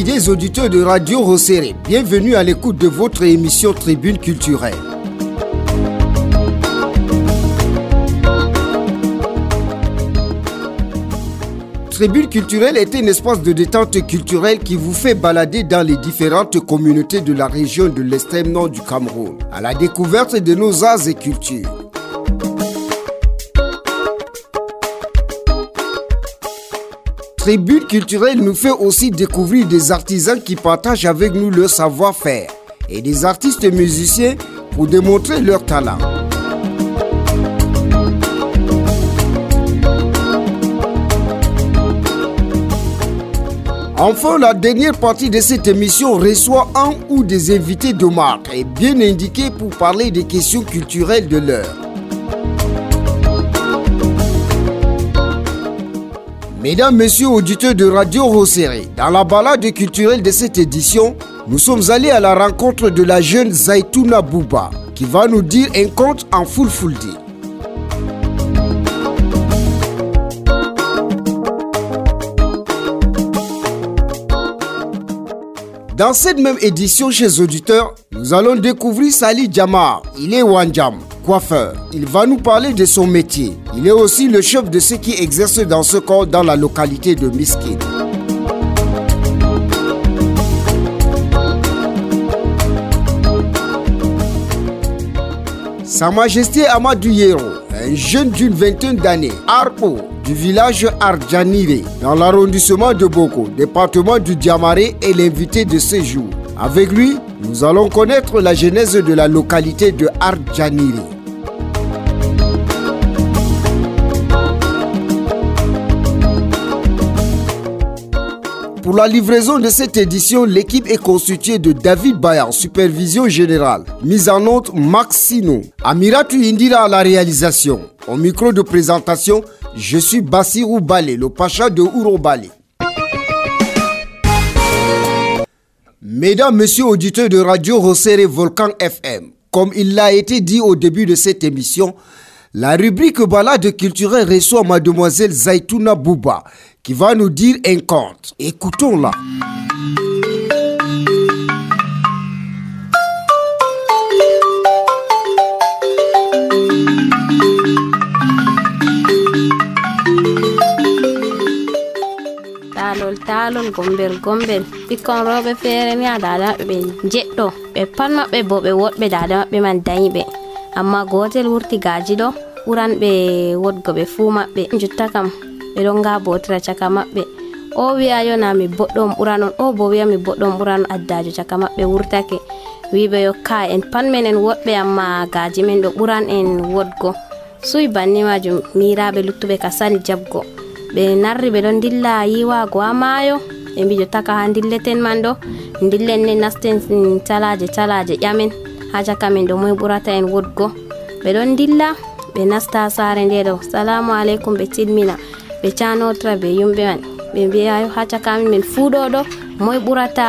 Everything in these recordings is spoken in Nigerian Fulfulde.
fidèles auditeurs de Radio Rosséré, bienvenue à l'écoute de votre émission Tribune culturelle. Tribune culturelle est un espace de détente culturelle qui vous fait balader dans les différentes communautés de la région de l'extrême nord du Cameroun, à la découverte de nos arts et cultures. Tribune culturelle nous fait aussi découvrir des artisans qui partagent avec nous leur savoir-faire et des artistes musiciens pour démontrer leur talent. Enfin, la dernière partie de cette émission reçoit un ou des invités de marque et bien indiqués pour parler des questions culturelles de l'heure. Mesdames, Messieurs, auditeurs de Radio Rosséré, dans la balade culturelle de cette édition, nous sommes allés à la rencontre de la jeune Zaitouna Bouba, qui va nous dire un conte en Fulfulde. Dans cette même édition, chers auditeurs, nous allons découvrir Sali Djamar. Il est Wanjam, coiffeur. Il va nous parler de son métier. Il est aussi le chef de ceux qui exercent dans ce corps dans la localité de Miskin. Sa Majesté Amadou Yero, un jeune d'une vingtaine d'années, Arpo, du village Ardjanire, dans l'arrondissement de Boko, département du Diamaré, est l'invité de ce jour. Avec lui, nous allons connaître la genèse de la localité de Ardjanire. Pour la livraison de cette édition, l'équipe est constituée de David Bayan, supervision générale, mise en note Maxino, Amiratou Indira à la réalisation. Au micro de présentation, je suis Bassirou Balé, le pacha de Ouro Balé. Mesdames, Messieurs, auditeurs de Radio Rosséré Volcan FM, comme il l'a été dit au début de cette émission, la rubrique balade culturelle reçoit mademoiselle Zaitouna Bouba, qui va nous dire un conte. Écoutons-la. Talol gombel ɓikkon rewɓe feere ni a dada maɓɓe ɓe jeɗɗo ɓe pat maɓɓe bo ɓe woɗɓe dada maɓɓe man dañi ɓe amma gotel wurti gaji ɗo ɓuranɓe wodgo ɓe fuu maɓɓe jotta kam ɓe ɗon nga botira caka maɓɓe o wi'a yona mi boɗɗo ɓuran on o bo wi'a mi boɗɗo ɓuran addajo caka maɓɓe wurtake wiɓe yo ka en pat men en woɗɓe amma gaji men ɗo ɓuran en wodgo suy banni majum miraɓe luttuɓe ka sali jabgo ɓe narri ɓe ɗon dilla yiwago ha maayo ɓe mbi jotta ka ha dilleten man ɗo dillen ne nasten talaje ƴamen ha caka men ɗo moy ɓurata en wodgo ɓe ɗon dilla ɓe nasta sare nde ɗo salamu aleykum ɓe tilmina ɓe canotra ɓe yumɓe man ɓe mbiya ha cakamin min fuu ɗo moy ɓurata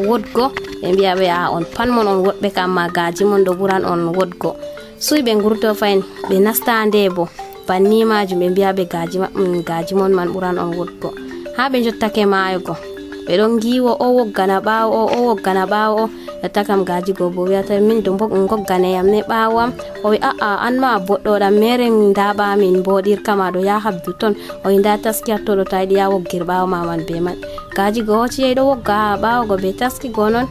wodgo ɓe mbiya ɓe a on pat mon on woɗɓe kam ma gaji mon ɗo ɓuran on wodgo suy ɓe gurto fayin ɓe nasta nde bo banni majum ɓe mbiya ɓe gaji mon man ɓuran on wodgo ha ɓe jottake mayugo ɓe ɗon giwo o woggana ɓawo o woggana ɓawo o jotta kam gaji go bo wiyata min do gogganeyam ne ɓawo am o wi aa an ma boɗɗoɗam mere ndaɓa min boɗirkama ɗo ya habdu ton o wi nda taski hattoɗo ta yiɗi ya woggir ɓawo ma man be man gaji go hoti yeyi ɗo wogga ha ɓawo go be taski go non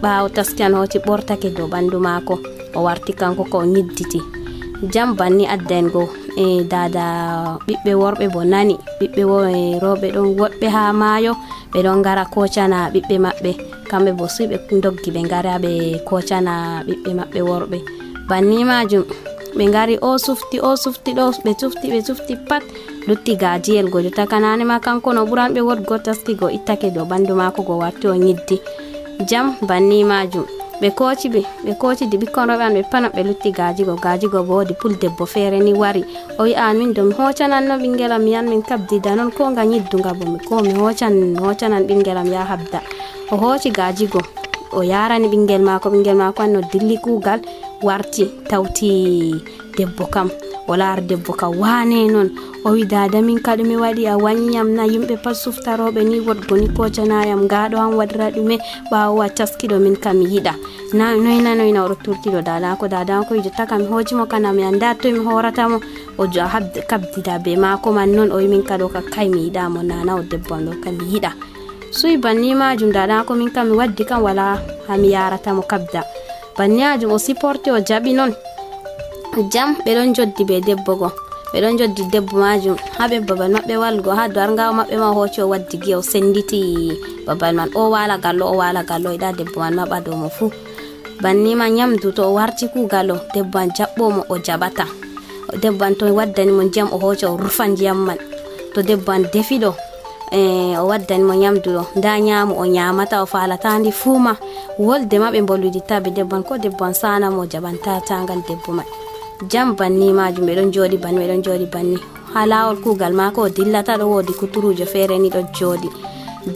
ɓawo taski an hoti ɓortake dow ɓandu mako o warti kanko ko o ñidditi jam banni addan go dada ɓiɓɓe worɓe bo nani ɓiɓɓe rewɓe ɗon woɗɓe ha maayo ɓe ɗon gara kocana ɓiɓɓe maɓɓe kamɓe bo suy ɓe doggi ɓe gara ɓe kocana ɓiɓɓe maɓɓe worɓe banni majum ɓe gari o sufti ɗo ɓe sufti pat lutti gajiyel go jotta kanane ma kanko no ɓuran ɓe wodgo taski go ittake dow ɓandu mako go warti o ñiddi jam banni majum ɓe kocidi ɓikkon rewɓe an ɓe pat ɓe lutti gaji go bo wodi pul debbo feere ni wari o wi an min do mi hocananno ɓingelam mi yan min kabdida noon ko nga ñidduga bo ko mi hocanan ɓingelam ya habda o hoci gaji go o yarani ɓingel mako an no dilli kugal warti tawti debbo kam o laari debbo ka wane non, o wi dada min ka ɗume waɗi a wanyam na, yimɓe pat suftaroɓe ni woɗgo ni kocanayam gaɗo han waɗira ɗume ɓawo a taskiɗo min kam mi yiɗa na noyna oɗo turtiɗo dadako wi jotta kam mi hojimo kana mi anda to mi horatamo o kabdida be mako man non o wi min ka ɗo ka kai mi yiɗamo nana o debbo am ɗo kam mi yiɗa. Suyi banni majum dadako min kam mi waddi kam wala hami yaratamo kabda banni majum o supporti o jaɓi non. Jam ɓe ɗon joddi be debbo go, ɓe ɗon joddi debbo majum haɓe babal maɓɓe walgo ha dargawo maɓɓe ma hoci o waddi gi o senditi babal man o wala gallo yiɗa debbo man maɓa dow mo fu. Banni ma nyamdu to o warti kugal o debbo an jaɓɓomo o jaɓata, debbo an to waddani mo ndiyam o hoca o rufa ndiyam man, to debbo an defiɗo o waddani mo nyamdu ɗo nda nyamu o nyamata o falata ndi fuma wolde ma ɓe bolwiditta be debbo an ko debbo an sana mo jaɓanta tangal debbo man. Jam banni majum ɓe ɗon joɗi banni ha lawol kugal mako o dillata ɗo wodi kuturujo feere ni ɗo joɗi.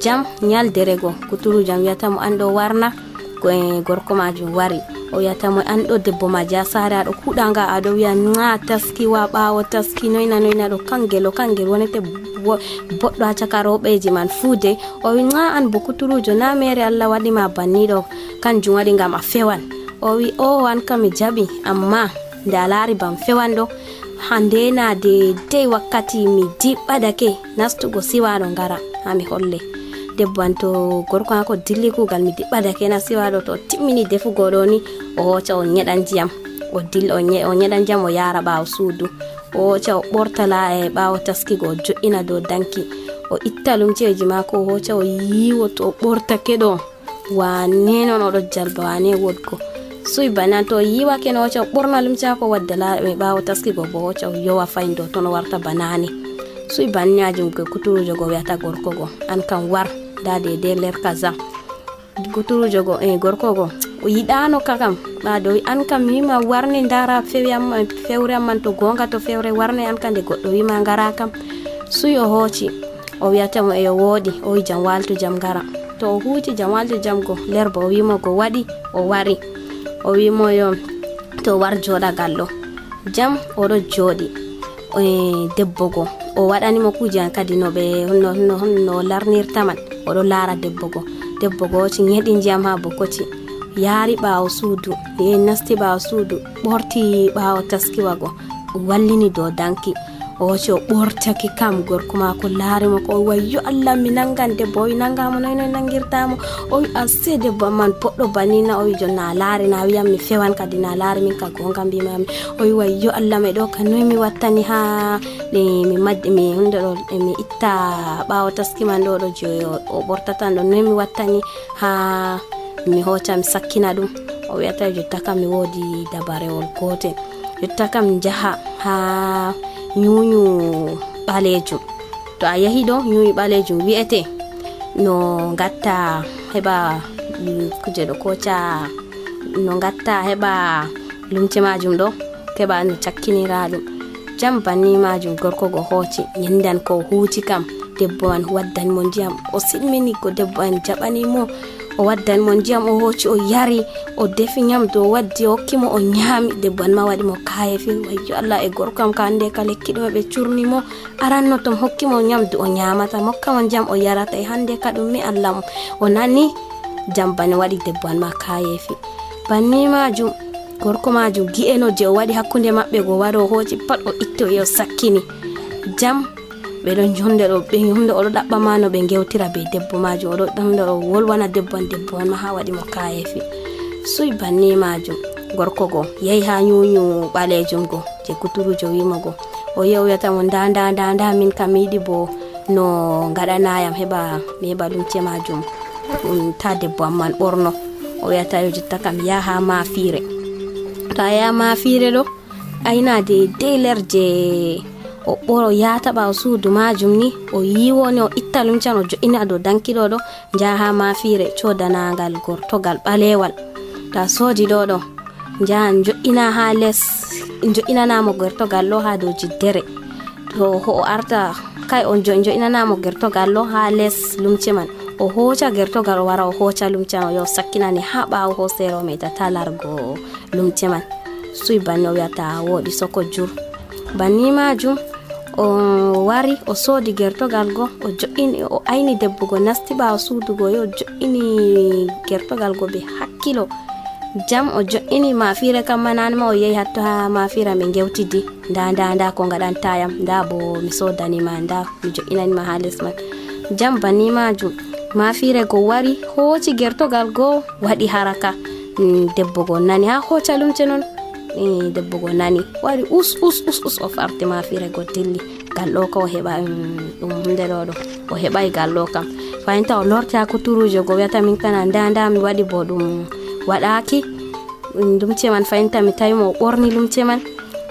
Jam nyaldere go kuturujo wiyata mo an ɗo warna gorko majum wari o wiyata mo an ɗo debbo ma ja sare aɗo kuɗanga aɗo wiya na taskiwa ɓawo taski noyna ɗo kangel wonete boɗɗo ha caka rewɓeji man fuude o wi na an bo kuturujo na mere Allah waɗi ma banni ɗo kanjum waɗi ngam a fewan. O wi o an kam mi jaɓi amma nde a laari bam fewan ɗo hande na de wakkati mi diɓɓadake nastugo siwaɗo ngara ha mi holle debbo an to gorko hako dilli kugal mi diɓɓadake na siwaɗo to timmini defugo ɗo ni o hoca o nyeɗan ndiyam o dilla o nyeɗan ndiyam o yara ɓawo suudu o hoca o ɓortala e ɓawo taskigo o jo'ina dow danki o itta lumceji mako o hoca o yiwo to o ɓortake ɗo wane non oɗo jalba wane wodgo suy bana to yiwake no hoca o ɓorna lumce mako waddala e ɓawo taskigo bo hoca o yowa fayin dow to no warta banani suy bannajum ko kuturujo go wiyata gorko go an kam war da de ler kaza kuturujo go gorko go o yiɗano kakam ɓaɗo an kam wima warne ndara fewre amman to gonga to fewre warne an kam nde goɗɗo wima ngara kam suy o hooci o wiyatamo e o woodi o wi jam waltu jam ngara to o huuci jam waltu jam go lerba o wimo go waɗi o wari o wimo yo to war joɗa gallo jam oɗo joɗi debbo go o waɗanimo kuuje an kadi no larnirta man oɗo laara debbo go hoci nyeɗi ndiyam ha bokoci yaari ɓawo suudu nasti ɓawo suudu ɓorti ɓawo taskiwa go wallini dow danki o hoci o ɓortaki kam gorko mako laarimo ko o wayyo Allah mi nangan debbo o wi nangamo noyno nangirtamo o wi ase debbo man boɗɗo banina o wi jonna laari na wiyam mi fewan kadi na laari min ka gonga mbimami o wi wayyo Allah me ɗo ka noy mi wattani ha mi maddi mi hunde ɗo mi itta ɓawo taski man ɗo je o ɓortatan ɗo noy mi wattani ha mi hoca mi sakkina ɗum o wiyata jotta kam mi woodi dabarewol gotel jotta kam jaha ha nyuyu ɓalejum to a yahi ɗo nyuyu ɓalejum wi'ete no gatta heɓa kuje ɗo koca no gatta heɓa lumce majum ɗo keɓa no cakkinira ɗum jam banni majum gorko go hooci nyendan ko huuci kam debbo man waddan mo ndiyam o silmini ko debbo an jaɓanimo o waddan mo ndiyam o hooci o yari o defi nyamdu o waddi o hokkimo o nyaami debbo an ma waɗi mo kayefi wayyo Allah e gorko am ka hande ka lekki ɗum ɓe curnimo aranno tom hokkimo nyamdu o nyamata mokkamo ndiyam o yarata e hande ka ɗum mi Allah mo o nani jam bane waɗi debbo an ma kayefi banni majum gorko majum gi'eno je o waɗi hakkunde maɓɓe go waro o hooci pat o itto e o sakkini jam ɓe ɗon hunde oɗo ɗaɓɓama no ɓe gewtira be debbo majum oɗo hunde o wolwana debbo an ma ha waɗi mo kayefi suy banni majum gorko go yehi ha nyuyu ɓalejum go je kuturujo wimo go o yehi o wiyata mo nda min kam yiɗi bo no gaɗanayam mi heɓa lumce majum ta debbo am man ɓorno o wiyata yo jotta kam yaha mafire to a yaha mafire ɗo ayina de ler je o ɓoro yata ɓawo suudu majum ni o yiwoni o itta lumcan o jo'ina dow dankiɗo ɗo jaha mafire codanagal gortogal ɓalewal ta soodi ɗo jahan jo'ina ha les jo'inanamo gertogal ɗo ha dow jiddere to o arta kay on jo'inanamo gertogal ɗo ha les lumce man o hoca gertogal o wara o hoca lumcan o yo sakkinani ha ɓawo hosere o meɗata largo lumce man suy banni o wiyata woɗi soko jur banni majum o wari o soodi gertogal go o jo'ini o ayni debbo go nasti ɓaawo suudu go yo jo'ini gertogal go be hakkilo jam o jo'ini mafire kam manani ma o yehi hatto ha mafira ɓe gewtidi nda ko ngaɗantayam nda bo mi sodanima nda mi jo'inanima ha les man jam banni majum mafire go wari hooci gertogal go waɗi haraka debbo go nani ha hooca lumce non debbo go nani wari us o farti mafire go dilli galɗo ko o heɓa ɗum hunde ɗo o heɓai galɗo kam fayinta o lorti ha kuturuje go wiyata min kana nda mi waɗi bo ɗum waɗaki lumce man fayinta mi tawi mo o ɓorni lumce man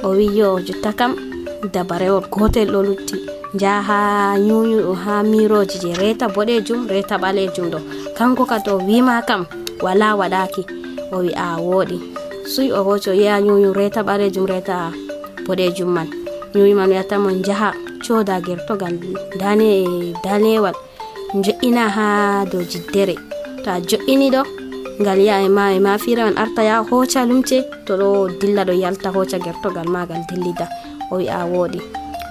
o wi yo jotta kam dabarewol gotel ɗo lutti jaha nyuyu ha miroji je reta boɗejum reta ɓalejum ɗo kanko ka to wima kam wala waɗaki o wi a woɗi suy o hoco yeya nyuyu reta ɓalejum reta boɗejum man nyuyu man wiyata mo jaha coda gertogal danewal jo'ina ha dow jiddere to a jo'ini ɗo ngal ya e mafira man arta ya hoca lumce to ɗo dilla ɗo yalta hoca gertogal magal dillida o wi a woɗi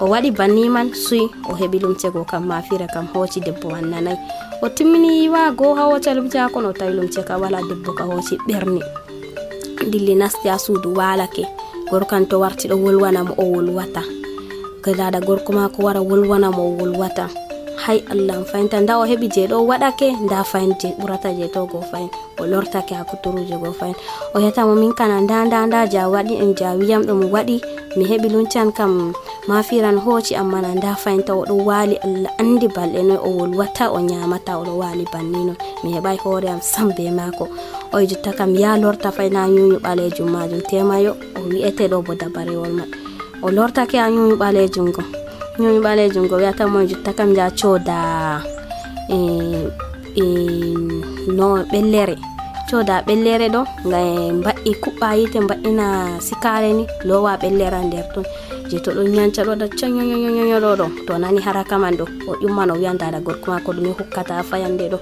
o waɗi banni man suy o heɓi lumce go kam mafira kam hoci debbo man nanay o timmini yiwago ha hoca lumce ha kono o tawi lumce ka wala debbo ka hoci ɓerni dilli nasti ha suudu walake gorkan to warti ɗo wolwana mo o wolwata gadaɗa gorko ma ko wara wolwana mo o wolwata hay allah fayinta nda o heɓi je ɗo waɗake nda fayin je ɓurata je to go fayin o lortake ha kuturuje go fayin o yetamo min kana nda ja waɗi en ja wiyam ɗo mi waɗi mi heɓi luncan kam mafiran hoci amma na nda fayinta o ɗo wali allah andi balɗe noy o wolwata o nyamata o ɗo wali banni non mi heɓai hoore am sam be mako o jotta kam ya lorta fayna nyuyu ɓalejum majum temayo o wi'ete ɗo bo dabarewol man o lortake ha nyuyu ɓalejum go wiyata mo jotta kam ja coda no ɓellere ɗo ga mba'i kuɓɓa yite mba'ina sikare ni lowa ɓellera nder ton je to ɗo nyanca ɗo da canyoyoyoyo ɗo to nani haraka man ɗo o ƴumman o wiyan dada gorko ma ko ɗume hukkata ha fayande ɗo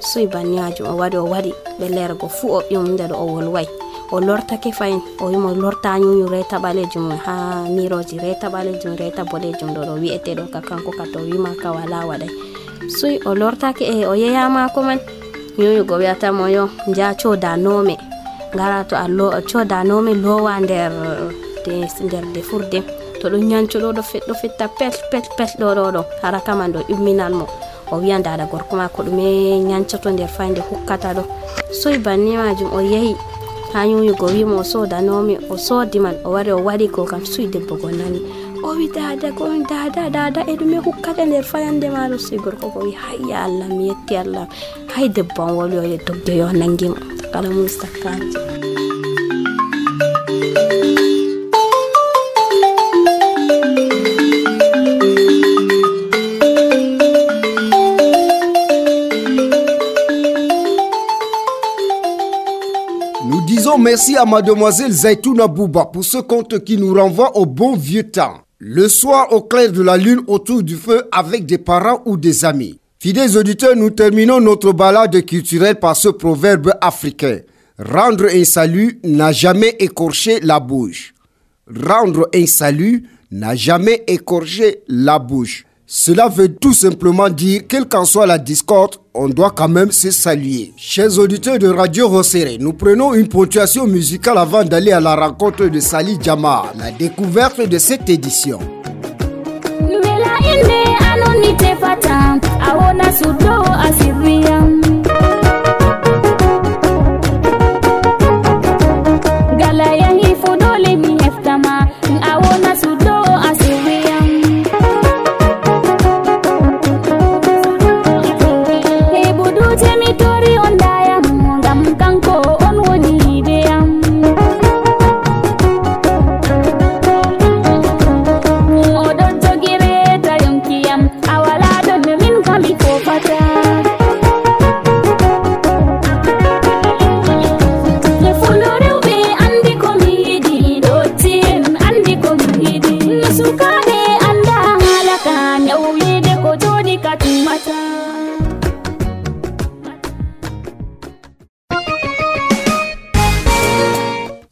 suy banni majum o waɗi ɓellere go fu o ƴumde ɗo o wolway o lortake fayin o wimo lorta nyuyu reta ɓalejum ha miroji reta ɓalejum reta boɗejum ɗo wi'ete ɗo ka kanko ka to wima ka wala waɗay suy o lortake o yeyama ko man nyuyu go wiyata mo yo ja coda nome ngara to a coda nome lowa nder defurde to ɗum nyanco ɗo fetta pet ɗo haraka man ɗo ƴumminan mo o wiyan dada gorko ma ko ɗume nyancoto nder fayde hukkata ɗo soy banni majum o yehi ha nyuyugo wimo o soda nomi o sodi man o wari o waɗi go kam suy debbo go nani o wi dada e ɗume hukkata nder fayande maɗo suy gorko go wi hayya allah mi yetti allah hay debbo an woli o ye doggeyo nangimo kala mum sakkaji. Merci à mademoiselle Zaitouna Bouba pour ce conte qui nous renvoie au bon vieux temps. Le soir au clair de la lune autour du feu avec des parents ou des amis. Fidèles auditeurs, nous terminons notre balade culturelle par ce proverbe africain. Rendre un salut n'a jamais écorché la bouche. Rendre un salut n'a jamais écorché la bouche. Cela veut tout simplement dire, quelle qu'en soit la discorde, on doit quand même se saluer. Chers auditeurs de Radio Rosséré, nous prenons une ponctuation musicale avant d'aller à la rencontre de Sali Djama, la découverte de cette édition.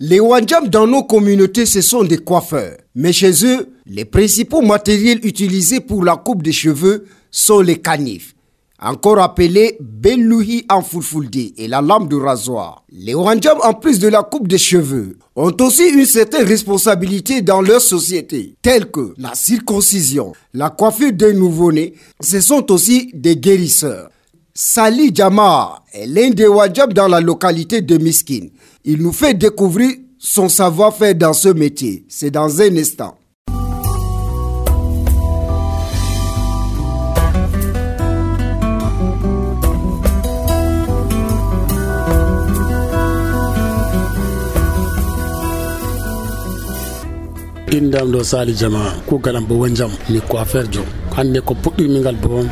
Les Wandjam dans nos communautés, ce sont des coiffeurs. Mais chez eux, Les principaux matériels utilisés pour la coupe de cheveux sont les canifs, encore appelé Bellouhi en fulfulde, et la lame de rasoir. Les Wanjam, en plus de la coupe de cheveux, ont aussi une certaine responsabilité dans leur société, telles que la circoncision, la coiffure d'un nouveau-né. Ce sont aussi des guérisseurs. Sali Jama est l'un des Wanjam dans la localité de Miskin. Il nous fait découvrir son savoir-faire dans ce métier. C'est dans un instant. Indam do Sali Jama ko galam bo wanjam mi coiffeur jo hande ko puɗɗirmi ngal bo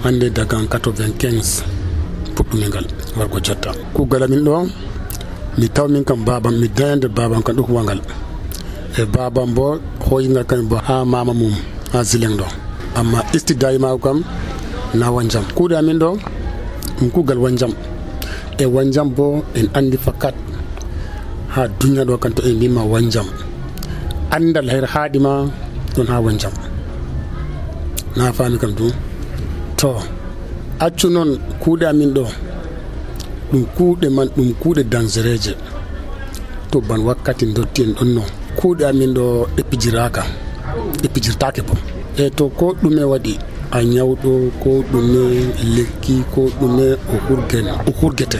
hande daga 95 puɗɗumi ngal wargo jotta ko galamin ɗo mi tawmin kam babam mi dayande babam kan ɗo wangal e babam bo hoyingal kan bo ha mama mum ha zileng ɗo amma istidayi ma kam na wanjam kuuɗe amin ɗo ɗum kugal wanjam e wanjam bo en andi fakat ha duniya ɗo kan to en mbima wanjam andal her haadima ɗon ha wanjam na fami kam du to accu noon kuuɗe amin ɗo ɗum kuuɗe man ɗum kuuɗe dangereje to ban wakkati dotti en ɗon no kuuɗe amin ɗo ɗeppijirtake bo e to ko ɗume waɗi a ñawɗo ko ɗume lekki ko ɗume o hurgete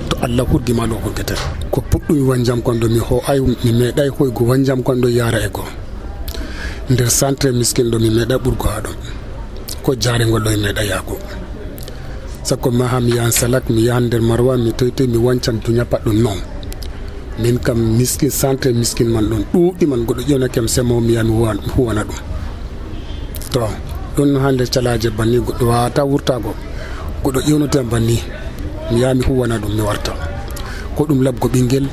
to Allah hurgima ɗo hurgete ko puɗɗumi wanjam kon ɗo mi meeɗay hoygo wanjam kon ɗo yara e go nder centre miskin ɗo mi meeɗay ɓurgo ha ɗon ko jarengol ɗo mi meeɗay yago sakko ma ha mi yahan salak mi yahan nder marwa mi toytoy mi wancan duña paɗɗum non min kam miskin centre miskin man ɗon ɗuuɗi man goɗɗo ƴewnakam semo mi yaha mi huwana ɗum to ɗon ha nder calaje banni goɗɗo wawata wurtago goɗɗo ƴewnotam banni mi yaha mi huwana ɗum mi warta ko ɗum labgo ɓinguel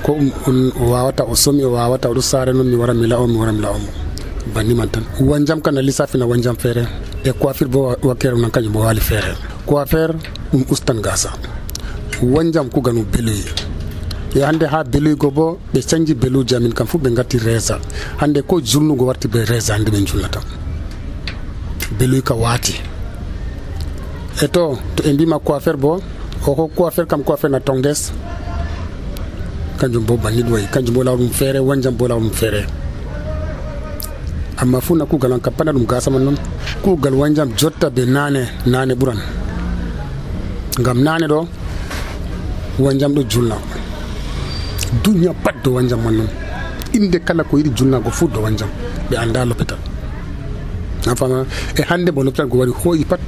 ko on wawata o somi o wawata oɗo sare noon mi wara mi la'omo banni man tan wanjam kana lissafina wanjam feere e coiffure bo wakkere nan kañum bo wali feere coiffure ɗum ustan gasa wanjam kuganu beluyi e hande ha beluygo bo ɓe canji beluji amin kam fu ɓe gatti resa hande ko julnugo warti ɓe resa hande ɓe julnata beluy ka waati e to e mbima coiffure bo ko coiffure kam coiffure na tongdes kanjum bo banni ɗum wayi kanjum bo lawɗum feere wanjam bo lawɗum feere amma fu na kugal on kam pana ɗum gasa man noon kugal wanjam jotta be nane ɓuran ngam nane ɗo wanjam ɗo julna duniya pat do wanjam man noon inde kala ko yiɗi julnago fu do wanjam ɓe anda lopital na fama e hande bo lopital go wari hoyi pat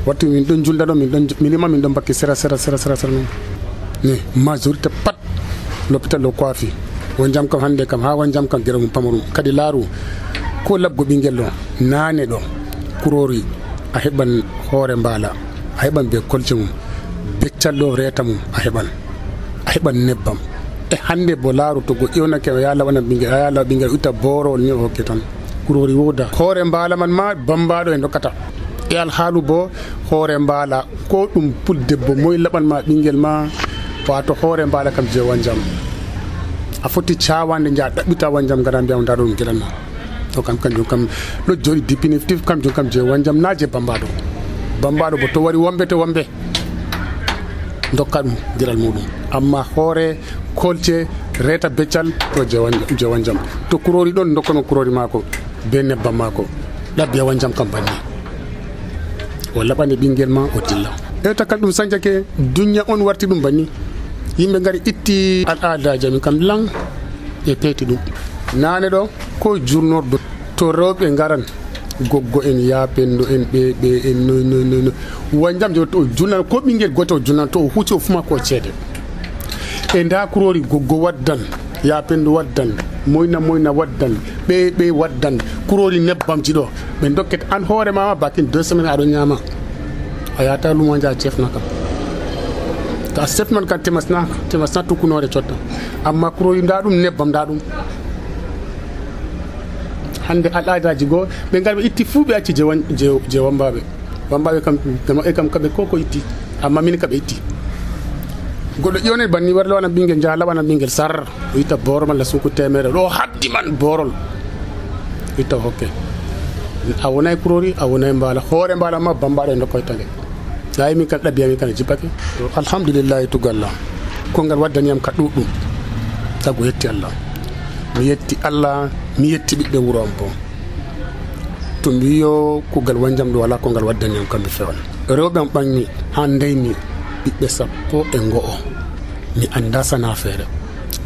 watti min ɗon julda ɗo min ɗon bakki sera noon ni majorité pat l'hôpital ɗo coifi wanjam kam hande kam ha wanjam kam gera mum pamarum kadi laaru ko labgo ɓinguel ɗo nane ɗo kurori a heɓan hoore mbala a heɓan be kolce mum beccal ɗo reta mum a heɓan nebbam e hande bo laaru to go ƴewnake o yaha laɓana ɓinguel itta borowol ni o hokke tan kurori woda hoore mbala man ma bambaɗo e dokkata e alhaalu bo hoore mbala ko ɗum puldebbo moye laɓanma ɓinguel ma wato hoore mbala kam je wanjam a foti cawande jaa ɗaɓɓita wanjam gara mbiyam nda ɗo ɗum giɗanma to kam kanjum kam ɗo jooɗi définitif kanjum kam je wanjam na je bambaɗo bo to wari wombe to wombe dokka ɗum giɗal muɗum amma hoore kolce reta beccal to je wanjam to kurori ɗon dokkano kurori mako be nebbam mako ɗabbiya wanjam kam banni o laɓane ɓinguel ma o dilla eta kam ɗum sañjake duniya on warti ɗum banni yimɓe gari itti al'adaji amin kam lan e peeti ɗum nane ɗo ko jurnordo to rewɓe garan goggo en yapendo en ɓeɓe en no wanjam jo to julnan ko ɓinguel goto o julnan to o huuci o fuma ko ceede e nda kurori goggo waddan yapendo waddan moyna waddan ɓe waddan kurori nebbamji ɗo ɓe dokket an hoore mama bakin 2 semaines aɗo ñama a yata lumo ja cefna kam to a sefnon kan temasna tukkunore cotta amma kurori nda ɗum nebbam nda ɗum hande al'adaji goo ɓe ngal ɓe itti fuu ɓe acci je wambaɓe kam kam kaɓe koko itti amma min kaɓe itti goɗɗo ƴewne banni war lawana ɓinguel jaha laɓana ɓinguel sar o itta borol malla sunku temere ɗo haddi man borol itta hokke a wonay kurori a wonay mbala hoore mbala ma bambaɗo ndokkoy tande yayi min kan ɗabbiyami kan jippake alhamdulillahi tugalla kongal waddaniyam ka ɗuɗɗum sago yetti Allah mi yetti Allah mi yetti ɓiɓɓe wuro am bo to mi wiyo kugal wanjam ɗo wala kongal waddaniyam kamɓe fewal rewɓe am ɓanmi ha ndeymi ɓiɓɓe 11 mi anda sana feere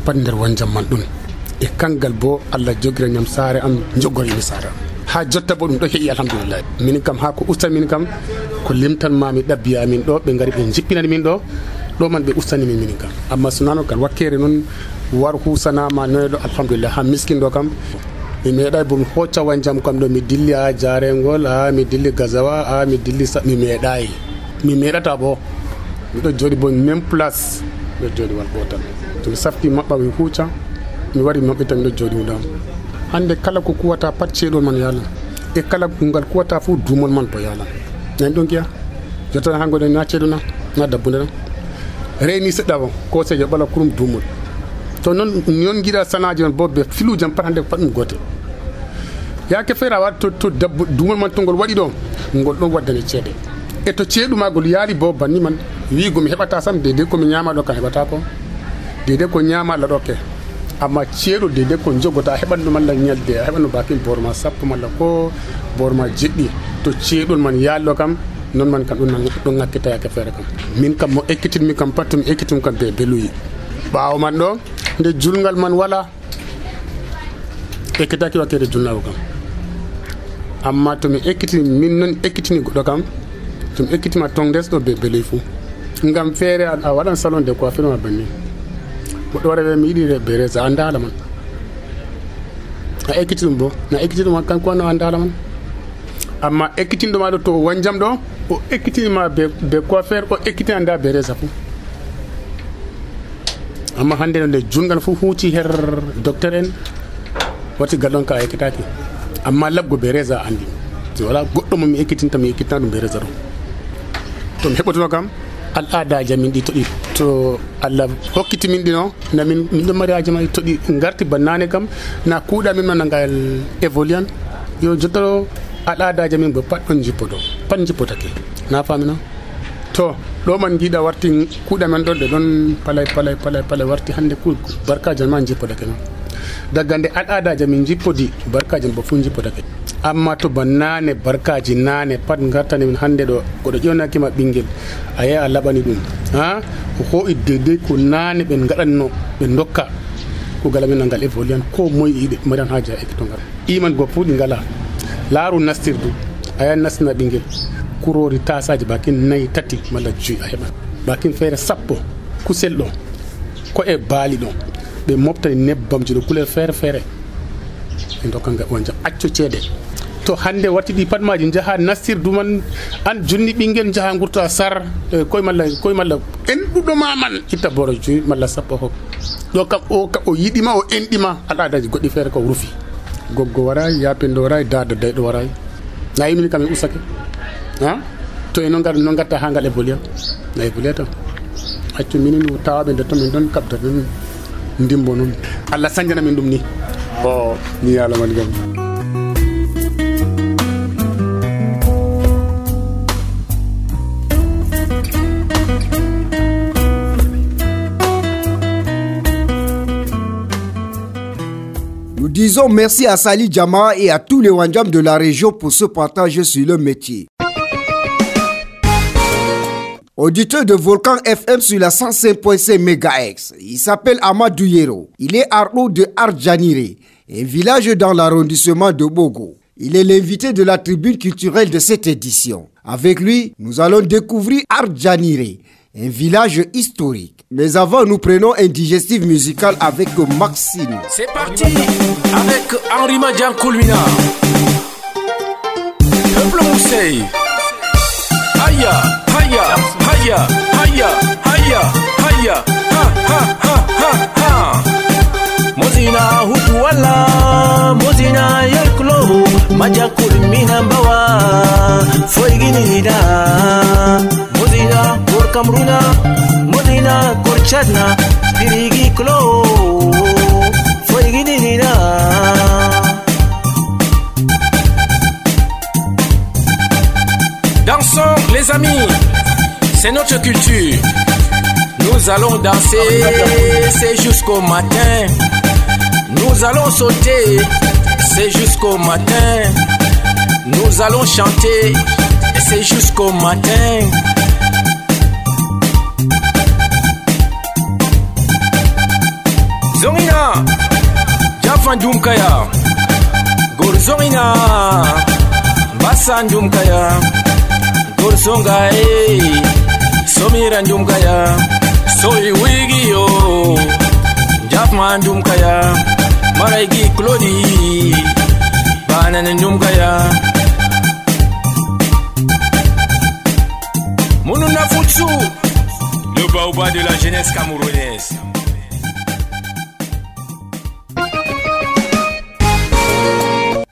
pat nder wanjam man ɗum e kangal bo Allah jogira ñam saare am jogorimi saare am ha jotta bo ɗum ɗo heƴi alhamdulillah min kam ha ko ustan min kam ko limtan mami ɗabbiya min ɗo ɓe ngari ɓe jippinani min ɗo man ɓe ustani min kam amma sunano gal wakkere noon war husanama noyɗo alhamdulillah ha miskin ɗo kam mi meeɗay bo mi hocca wanjam kam ɗo mi dilli ha jarengol mi dilli gazawa mi dilli mi meeɗayi mi meeɗata bo miɗo jooɗi bo même place miɗo jooɗi wal gotal to mi safti maɓɓa mi huuca mi wari maɓɓita miɗo jooɗi wudam hande kala ko kuwata pat ceeɗol man yalan e kala ngal kuwata fuu duumol man bo yalan nani ɗon giya jottana ha goɗen na ceeɗo na dabbude na reyni seɗɗa o ko seejo ɓala kurum duumol to noon giɗa sanaji on bo ɓe filujam pat hande pat ɗum gote yake feere a waɗa to dabbu duumol man to ngol waɗi ɗo ngol ɗon waddane ceeɗe e to ceeɗumagol yaali bo banni man wiigo mi heɓata sam dedei komi ñama ɗo kam heɓata ko dedei ko ñama Allah ɗo ke amma ceeɗo dedei ko jogota heɓan ɗum Allah ñalde a heɓan no bakin borma sappo malla ko borma jeɗɗi to ceeɗol man yaalɗo kam non man kam ɗum ŋakkita yake feere kam min kam mo ekkitinmi kam pat mi ekkitim kam be beluyi ɓaawo man ɗo nde julngal man wala ekkitaki wakkede julnago kam amma to mi ekkitini min noon ekkitini goɗɗo kam to mi ekkitima ton desɗo be beluyi fuu ngam feere a waɗan salon de coiffure ma banni goɗɗo waɗa mi yiɗi be resa a ndaala man a ekkitiɗum bo na ekkitiɗuma kanko wanno a ndaala man amma ekkitinɗoma ɗo to wanjam ɗo o ekkitinima be coiffure o ekkitina nda be resa fuu amma hande no nde jungal fuu huuci her docteur en wati gallon ka a ekkitaki amma labgo be resa andi so wala goɗɗo mo mi ekkitinta mi ekkitina ɗum be resa ɗo to mi heɓotono kam al'adaji min ɗi toɗi to Allah hokkiti min ɗino na min ɗo mari haji ma toɗi garti bannane kam na kuuɗa min manangal évoluan yo jottoro al'adaji min bo pat ɗon jippoto pat jippotake na famina to ɗo man jiiɗa warti kuuɗa men ɗon ɗe ɗon palay warti hande barkaji ma jippotake noon daga nde al'adaji min jippodi barkaji bo fu jippotake amma to bannane barkaji nane pat gartani min hande ɗo goɗo ƴewnakima ɓinguel a yehi a laɓani ɗum ha ko hoyi dedei ko nane ɓe gaɗanno ɓe dokka ko gala min ngal évoluan ko moye yiɗe maɗan haji a ekkitongal iman go fu ɗi ngala laaru nastirdu a yahi nastina ɓinguel kurori tasaji bakin 4 3 malla 5 a heɓan bakin feere 10 kusel ɗo ko e baali ɗo ɓe moftani nebbamji ɗo couleur feere ɓe dokka wanjam acco ceeɗe to hande watti ɗi pat maji jaha nastirdu man an junni ɓinguel jaha gurta sar koye malla enɗuɗo ma man itta boro 5 malla 10 hok ɗo kam o yiɗima o enɗima al'adaji goɗɗi feere ko rufi goggo waray yapendo waray dada dayɗo waray na yimini kam e usake ha to e no gatta ha ngal évoluer na évoluer tan accu minin tawaɓe nde to min ɗon kabda ɗum ndimbo noon Allah sañjana min ɗum ni o ni yalaman gam Nous disons merci à Sali Djama et à tous les Wanjam de la région pour ce partage sur le métier. Auditeur de Volcan FM sur la 105.5 MHz, il s'appelle Amadou Yero. Il est Arnaud de Ardjanire, un village dans l'arrondissement de Bogo. Il est l'invité de la tribune culturelle de cette édition. Avec lui, nous allons découvrir Ardjanire, un village historique. Mais avant, nous prenons un digestif musical avec Maxime. C'est parti avec Henri Madian Koulmina. Peuple Mousseï. Haya, haya, haya, haya, haya, haya, ha, ha, ha, ha, ha. Mozina hutu wala, mozina yelkulo, Madian Koulmina bawa, foiginida. Mozina por Kamruna, Mozina por Chadna, Pirigi Klo, foiginida. Dansons les amis, c'est notre culture. Nous allons danser, c'est jusqu'au matin. Nous allons sauter, c'est jusqu'au matin. Nous allons chanter, c'est jusqu'au matin. Zongina, Jafandum Kaya, Gorzongina, Bassandum Kaya, Gorzonga, Somirandum Kaya, Soy Wigio, Jafmandum Kaya, Maraigi Claudie, Bananandum Kaya, Monuna Futsu, le baobab de la jeunesse camerounaise.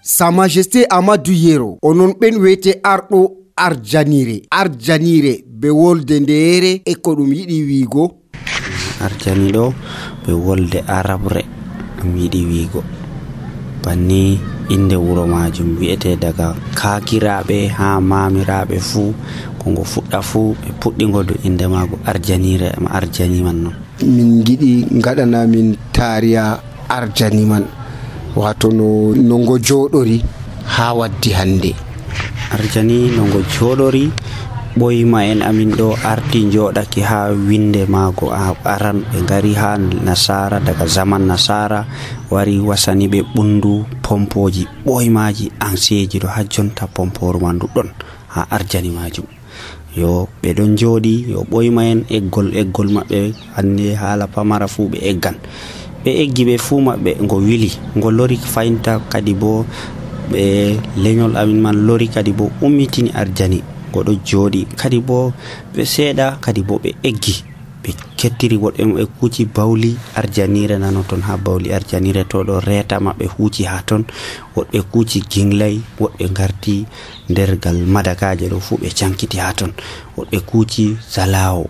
Sa Majesté Amadou Yero onon ɓen wiyete arɗo arjanire be wolde ndeere e ko ɗum yiɗi wiigo. Arjani ɗo ɓe wolde arabre ɗum yiɗi wiigo banni inde wuro majum wi'ete daga kakiraɓe ha mamiraɓe fuu ko ngo fuɗɗa fuu ɓe puɗɗigo do inde mago arjanire ma arjani man non. Min giɗi gaɗana min tariya arjani man wato no ngo joɗori ha waddi hande. Arjani no ngo joɗori ɓoyma en amin ɗo arti joɗaki ha winde mago aran ɓe ngari ha nasara daga zaman nasara wari wasani ɓe ɓundu pompoji ɓoymaji anseji ɗo ha jonta pomporu man ɗuɗɗon ha arjani majum. Yo ɓe ɗon joɗi yo ɓoyma en eggol maɓɓe hande hala pamara fu ɓe eggan ɓe eggi ɓe fuu maɓɓe ngo wili ngo lori faynta kadi bo ɓe leñol amin man lori kadi bo ummitini arjani ngo ɗo jooɗi kadi bo ɓe seeɗa kadi bo ɓe eggi ɓe kettiri woɗɓe ɓe kuuci bawli arjanire nano ton ha bawli arjanire to ɗo reeta maɓɓe huuci ha ton woɗɓe kuuci ginglay woɗɓe garti ndergal madakaje ɗo fuu ɓe cankiti ha ton woɗɓe kuuci zalawo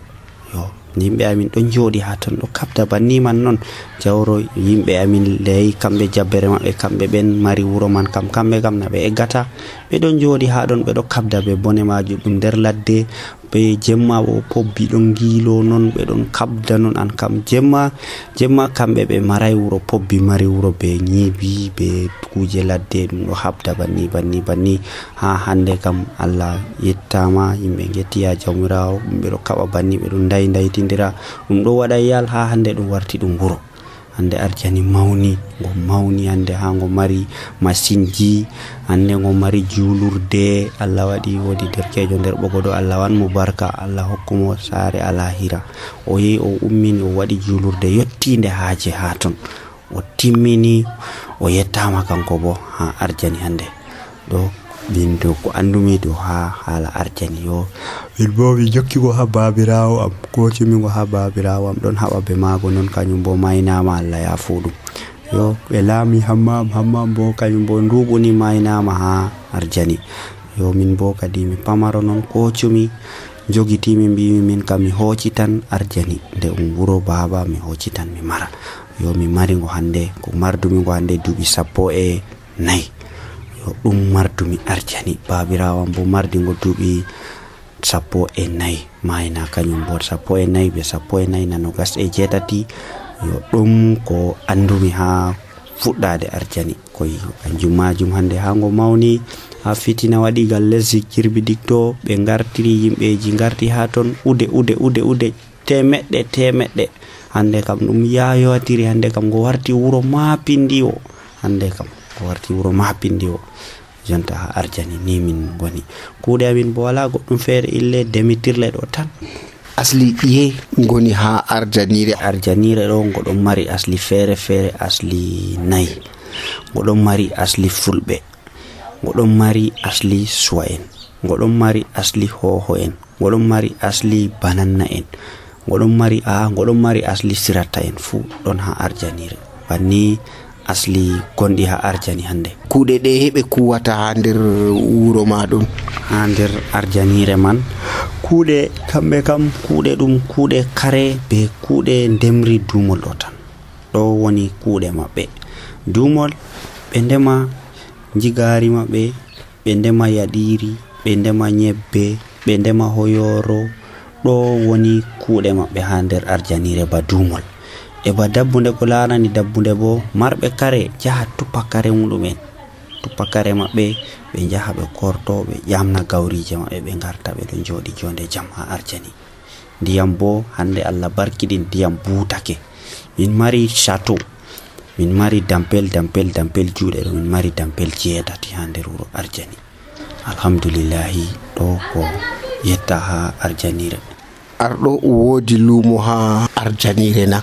yo yimɓe amin ɗon jooɗi ha ton ɗo kabda banni man non jawro yimɓe amin ley kamɓe jabbere maɓɓe kamɓe ɓen mari wuro man kamɓe kam na ɓe eggata ɓe ɗon jooɗi ha ɗon ɓe ɗo kabda be bone majum ɗum nder ladde be jemma bo pobbi ɗon giilo non ɓe ɗon kabda non an kam jemma kamɓe ɓe maray wuro pobbi mari wuro be ñiibi be kuje ladde ɗum ɗo habda banni ha hande kam Allah yettama yimɓe gettiya jawmirawo ɓe ɗo kaɓa banni ɓe ɗon daytindira ɗum ɗo waɗa yal ha hande ɗum warti ɗum wuro. Hande arjani mawni hande ha ngo mari masinji hande ngo mari julurde Allah waɗi wodi derkejo nder ɓogoɗo Allah wan mo barka Allah hokkumo saare alahira o yehi o ummini o waɗi julurde yettinde haaje ha ton o timmini o yettama kanko bo ha arjani hande ɗo bindo ko andumi do ha hala arjani yo bo mi jokki go ha babirawo am ko timi go ha babirawo am don haba be mago non kanyum bo maynama Allah ya fuɗum yo be lami hammam bo kanyum bo ndubuni maynama ha arjani yo min bo kadi mi pamaro non ko tumi jogitimi mbimi min kam mi hocitan arjani nde wuro baba mi hocitan mi mara yo mi mari go hande ko mardumi go hande dubi 14 ɗum mardumi arjani babirawan bo mardi ngo duuɓi 14 mayna kañum bo 14 be 14 nanogas e jeetati yo ɗum ko andumi ha fuɗɗade arjani koy kanjum majum hande ha ngo mawni ha fitina waɗi gal lesdi Kirbidigto ɓe gartiri yimɓeji garti ha ton ude temeɗɗe hande kam ɗum yayowatiri hande kam ngo warti wuro mapindiwo hande kam warti wuro mapindiwo jonta ha arjani ni min goni kuuɗe amin bo wala goɗɗum feere ille demitirle ɗo tan asli ɗiye goni ha arjanire ɗo goɗon mari asli feere asli nayi goɗon mari asli fulɓe goɗon mari asli suwa en goɗon mari asli hoho en goɗon mari asli bananna en goɗon mari asli sirata en fu ɗon ha arjanire banni asli gondi ha arjani hande kuuɗe ɗe heɓe kuwata ha nder wuro maɗum ha nder arjanire man kuuɗe kamɓe kam kuuɗe ɗum kuuɗe kare be kuuɗe ndemri dumol ɗo tan ɗo woni kuuɗe maɓɓe dumol ɓe ndema jigari maɓɓe ɓe ndema yaɗiri ɓe ndema nyebbe, ɓe ndema hoyoro. Ɗo woni kuuɗe maɓɓe ha nder arjanire ba dumol. E ba dabbunde ko larani dabbunde bo, marɓe kare jaha tuppa kare muɗumen, tuppa kare maɓɓe, ɓe jaha ɓe korto, ɓe ƴamna gawrije maɓɓe, ɓe garta ɓe ɗon joɗi jonde jam ha arjani. Ndiyam bo hande Allah barkiɗin ndiyam buutake. Min mari chateau, min mari dampel juuɗe ɗo, min mari dampel 7 ha nder wuro arjani. Alhamdulillahi, ɗo ko yetta ha arjanire. Arɗo woodi luumo ha arjanire na?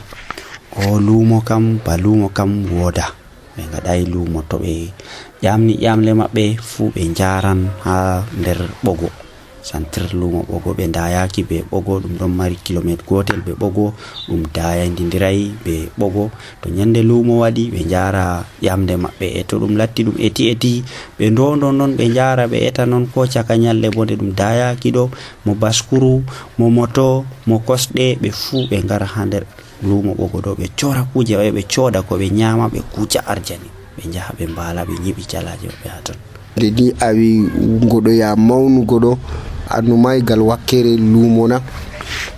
O luumo kam ba luumo kam wooda. Ɓe ngaɗayi luumo, to ɓe ƴamni ƴamle maɓɓe fuu ɓe njaran ha nder ɓogo, santir luumo ɓogo. Ɓe ndayaki be ɓogo, ɗum ɗon mari kilomètre gotel be ɓogo, ɗum dayandindirayi be ɓogo. To nyande luumo waɗi ɓe njara ƴamde maɓɓe, e to ɗum latti ɗum eti ɓe ndondo non ɓe njara ɓe eta non ko caka nyalle bo nde ɗum dayaki ɗo, mo baskuru, mo moto, mo kosɗe, ɓe fuu ɓe ngara ha nder luumo ɓogo ɗo, ɓe cora kuje maɓɓe, ɓe cooda ko ɓe nyama, ɓe kuca arjani, ɓe njaha ɓe mbala, ɓe nyiɓi calaje maɓɓe ha ton. Nde ni awi ngoɗo ya mawnugo ɗo, annumaygal wakkere luumo na?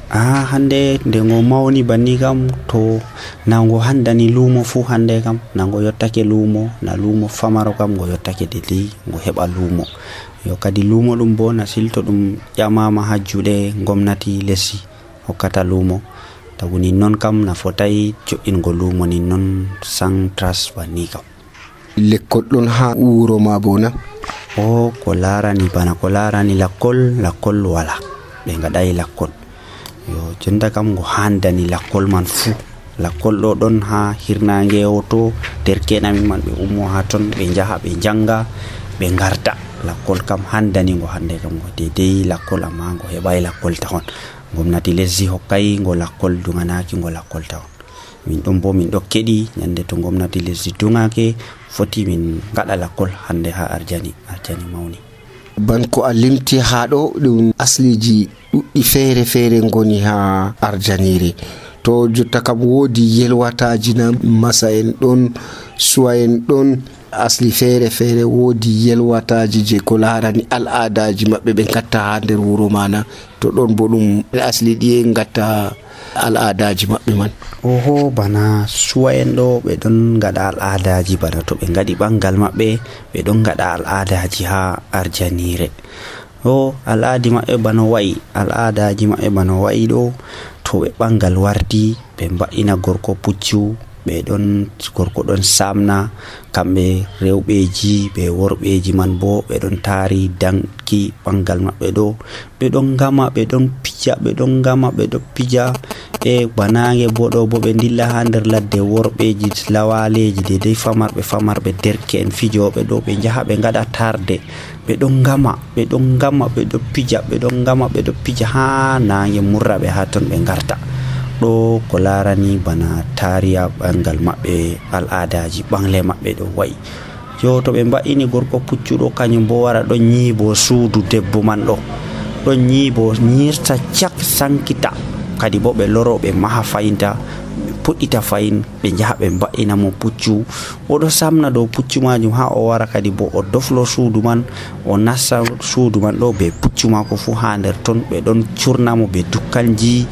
Hande nde ngo mawni banni kam, to nango handani luumo fu hande kam nango yottake luumo, na luumo famaro kam ngo yottake dedi ngo heɓa luumo. Yo kadi luumo ɗum bo na silto ɗum ƴamama ha juuɗe gomnati lesdi hokkata luumo. Tagu nin non kam na fotai jo'ingo luumo nin non sans trace banni kam. Lekkol ɗon ha wuro ma bo na? Ko larani bana ko larani lakkol wala, ɓe ngaɗayi lakkol. Yo jonta kam ngo handani lakkol man fu. Lakkol ɗo ɗon ha hirnange to derke'en amin man ɓe ummo ha ton, ɓe njaha ɓe janga, ɓe ngarta. Lakkol kam handani ngo hande kam ngo dedei lakkol, amma ngo heɓai lakkol tawon. Gomnati lesdi hokkai ngo lakkol, dunganaki ngo lakkol tawon. Min ɗon bo min ɗo keɗi nyande to gomnati lesdi dungake foti min gaɗa lakkol hande ha arjani mawni. Ban ko a limti ha ɗo ɗum asliji ɗuɗɗi feere ngoni ha arjanire. To jotta kam woodi yelwataji na, masa en ɗon, suwa en ɗon, asli feere woodi yelwataji je ko larani al'adaji maɓɓe ɓe gatta ha nder wuro mana. To ɗon bo ɗum asli ɗiye gatta al'adaji maɓɓe man? Bana suwa en ɗo ɓe ɗon gaɗa al'adaji, bana to ɓe ngaɗi ɓangal maɓɓe ɓe ɗon gaɗa al'adaji ha arjanire. Al'adaji maɓɓe bano wayi ɗo, to ɓe ɓangal wardi ɓe mba'ina gorko puccu, gorko ɗon samna, kamɓe rewɓeji be worɓeji man bo ɓe ɗon taari danki ɓangal maɓɓe ɗo, ɓe ɗon gama, ɓe ɗon pija, e banange bo ɗo bo ɓe dilla ha nder ladde worɓeji lawaleji dedei famarɓe derke'en fijoɓe ɗo, ɓe njaha ɓe ngaɗa tarde, ɓe ɗon gama, ɓe ɗon pija ha nange murra ɓe ha ton ɓe ngarta. Ɗo ko larani bana tariya ɓangal maɓɓe, al'adaji ɓangle maɓɓe ɗo wayi. Yo to ɓe mba'ini gorko puccuɗo, kañum bo wara ɗon nyiibo suudu debbo man ɗo, ɗon nyiibo nyirta cak sankita, kadi bo ɓe loro ɓe maha fayinta, ɓe puɗɗita fayin, ɓe njaha ɓe mba'ina mo puccu, oɗo samna dow puccu majum ha o wara kadi bo o doflo suudu man, o nassa suudu man ɗo be puccu mako fu ha nder ton. Ɓe ɗon curnamo be dukkanji,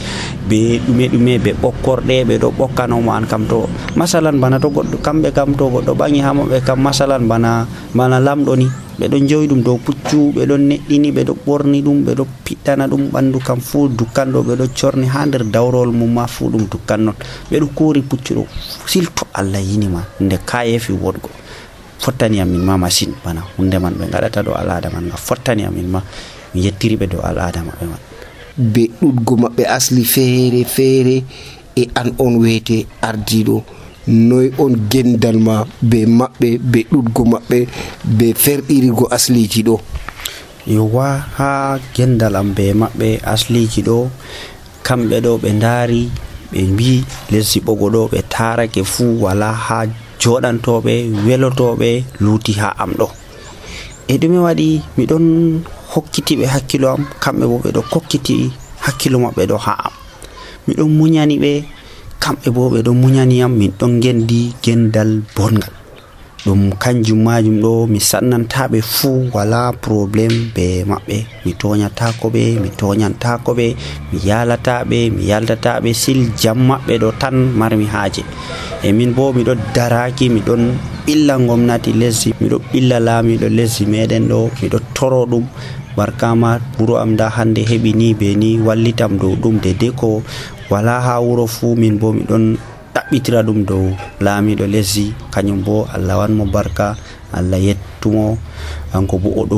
be ɗume be ɓokkorɗe, ɓe ɗo ɓokkanomo an kam. To masalan bana to goɗɗo kamɓe kam to goɗɗo ɓangi ha maɓɓe kam, masalan bana lamɗo ni, ɓe ɗon joyi ɗum dow puccu, ɓe ɗon neɗɗini, ɓe ɗo ɓorni ɗum, ɓe ɗo piɗɗana ɗum ɓandu kam fu dukkan ɗo, ɓe ɗo corni ha nder dawrol mum ma fu ɗum dukkan non, ɓe ɗo kuuri puccu ɗo. Silto Allah yinima nde kayefi woɗgo, fottani amin ma masin, bana hunde man ɓe ngaɗata ɗo al'ada man nga fottani amin ma, mi yettiri ɓe dow al'ada maɓɓe man. Be ɗuɗgo maɓɓe asli feere e an on wete ardiɗo, noy on gendal ma be maɓɓe, be ɗuɗgo maɓɓe, be ferɗirigo asliji ɗo? Yowa ha gendal am be maɓɓe asliji ɗo, kamɓe ɗo ɓe ndaari ɓe mbi lesdi ɓogo ɗo ɓe tarake fuu wala ha joɗantoɓe welotoɓe luuti ha am ɗo. E ɗume waɗi miɗon hokkitiɓe hakkilo am, kamɓe bo ɓe ɗo kokkiti hakkilo maɓɓe ɗo ha am. Miɗon muñani ɓe, kamɓe bo ɓe ɗo muñani am, min ɗon gendi gendal bongal. ɗum kanjum majum ɗo mi sannantaɓe fuu wala probléme be maɓɓe, mi toñatako ɓe, mi toñantako ɓe, mi yalataɓe, mi yaldataɓe, sil jam maɓɓe ɗo tan marmi haaje. E min bo miɗo daraki, miɗon ɓilla gomnati lesdi, miɗo ɓilla laamiɗo lesdi meɗen ɗo, miɗo toro ɗum barkama wuro am da hande heɓi ni be ni, wallitam dow ɗum dede ko wala ha wuro fuu. Min bo miɗon ɗaɓɓitira ɗum dow laamiɗo lesdi, kañum bo Allah wanmo barka, Allah yettumo, hanko bo oɗo